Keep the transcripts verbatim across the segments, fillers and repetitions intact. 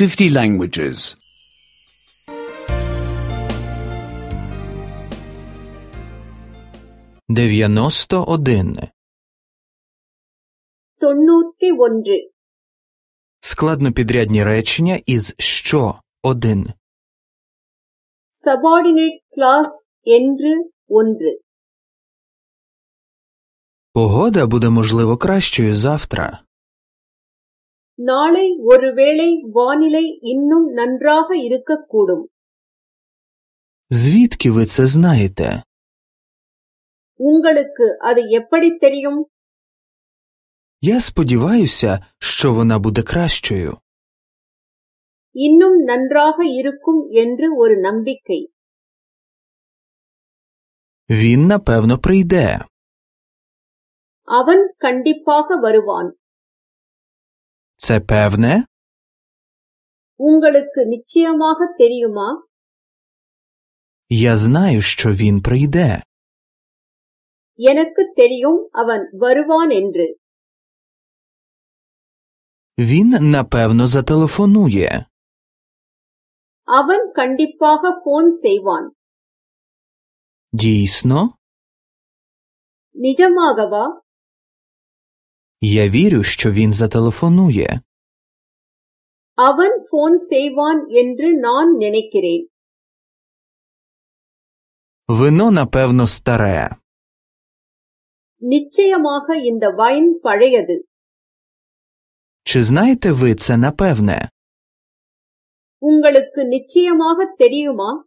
fifty languages. дев'яносто один. தொண்ணூத்தி ஒன்று. Складнопідрядні речення із що один. Subordinate clause என்று ஒன்று. Погода буде, можливо, кращою завтра. நாளை ஒருவேளை வானிலை இன்னும் நன்றாக இருக்கக்கூடும். Звідки ви це знаєте? உங்களுக்கு அது எப்படி தெரியும்? Я сподіваюся, що вона буде кращою. இன்னும் நன்றாக இருக்கும் என்று ஒரு நம்பிக்கை. Він, напевно, прийде. அவன் கண்டிப்பாக வருவான். Це певне? உங்களுக்கு நிச்சயமாக தெரியுமா? Я знаю, що він прийде. எனக்கு தெரியும் அவன் வருவான் என்று. Він, напевно, зателефонує. அவன் கண்டிப்பாக போன் செய்வான். Дійсно? நிஜமாகவா? Я вірю, що він зателефонує. அவன் போன் செய்வான் என்று நான் நினைக்கிறேன். Вино, напевно, старе. நிச்சயமாக இந்த வைன் பழையது. Чи знаєте ви це напевне? உங்களுக்கு நிச்சயமாக தெரியுமா?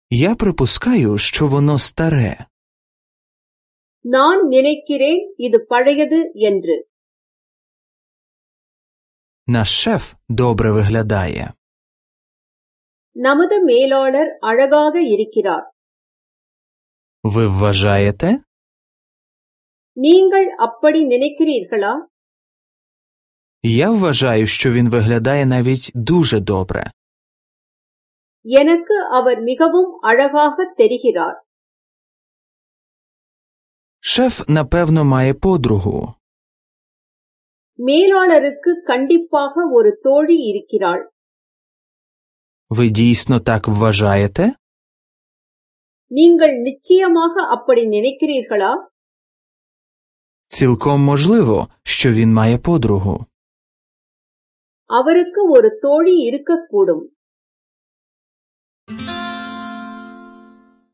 Я припускаю, що воно старе. நான் நினைக்கிறேன் இது பழையது என்று. Наш шеф добре виглядає. நமது மேலாளர் அழகாக இருக்கிறார். Ви вважаєте? நீங்கள் அப்படி நினைக்கிறீர்களா? Я вважаю, що він виглядає навіть дуже добре. எனக்கு அவர் மிகவும் அழகாக தெரிகிறார். Шеф, напевно, має подругу. மேலாளருக்கு கண்டிப்பாக ஒரு தோழி இருக்கிறாள். Ви дійсно так вважаєте? நீங்கள் நிச்சயமாக அப்படி நினைக்கிறீர்களா? Цілком можливо, що він має подругу. அவருக்கு ஒரு தோழி இருக்கக்கூடும்.